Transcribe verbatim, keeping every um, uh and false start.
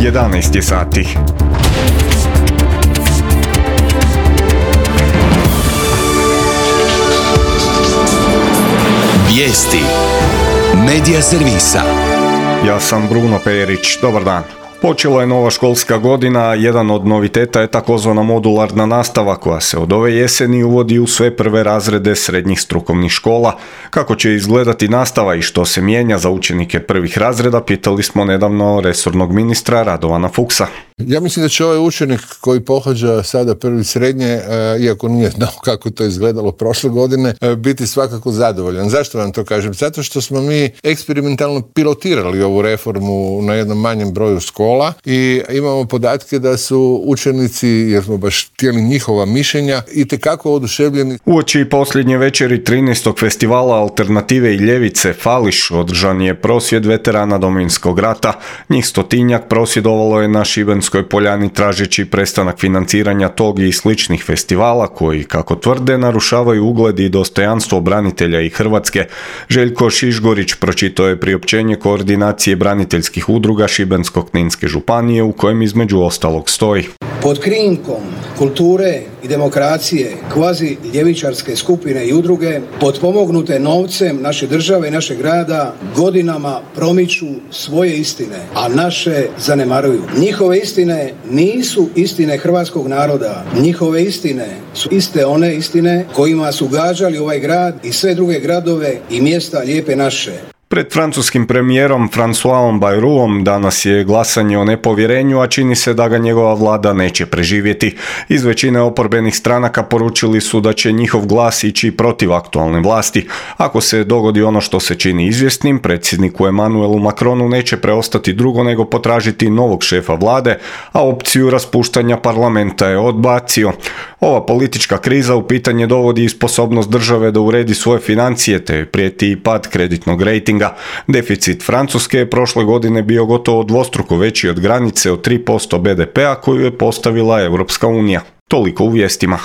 jedanaest je sati. Vijesti Medija servisa. Ja sam Bruno Perić, dobar dan. Počela je nova školska godina, jedan od noviteta je takozvana modularna nastava koja se od ove jeseni uvodi u sve prve razrede srednjih strukovnih škola. Kako će izgledati nastava i što se mijenja za učenike prvih razreda, pitali smo nedavno resornog ministra Radovana Fuchsa. Ja mislim da će ovaj učenik koji pohađa sada prvi srednje, iako nije znao kako to izgledalo prošle godine, biti svakako zadovoljan. Zašto vam to kažem? Zato što smo mi eksperimentalno pilotirali ovu reformu na jednom manjem broju škola i imamo podatke da su učenici, jer smo baš htjeli njihova mišljenja, itekako oduševljeni. Uoči posljednje večeri trinaestog festivala Alternative i ljevice Fališ održan je prosvjed veterana Domovinskog rata. Njih stotinjak prosvjedovalo je na Šibenskoj Poljani tražeći prestanak financiranja tog i sličnih festivala koji, kako tvrde, narušavaju ugled i dostojanstvo branitelja i Hrvatske. Željko Šišgorić pročitao je priopćenje koordinacije braniteljskih udruga Šibensko-kninske županije u kojem između ostalog stoji: pod krinkom kulture i demokracije kvazi ljevičarske skupine i udruge potpomognute novcem naše države i našeg grada godinama promiču svoje istine, a naše zanemaruju. Njihove istine nisu istine hrvatskog naroda. Njihove istine su iste one istine kojima su gađali ovaj grad i sve druge gradove i mjesta lijepe naše. Pred francuskim premijerom Françoisom Bayrouom danas je glasanje o nepovjerenju, a čini se da ga njegova vlada neće preživjeti. Iz većine oporbenih stranaka poručili su da će njihov glas ići protiv aktualne vlasti. Ako se dogodi ono što se čini izvjesnim, predsjedniku Emmanuelu Macronu neće preostati drugo nego potražiti novog šefa vlade, a opciju raspuštanja parlamenta je odbacio. Ova politička kriza u pitanje dovodi i sposobnost države da uredi svoje financije, te prijeti i pad kreditnog rejtinga. Deficit Francuske je prošle godine bio gotovo dvostruko veći od granice od tri posto be de pea koju je postavila Europska unija. Toliko u vijestima.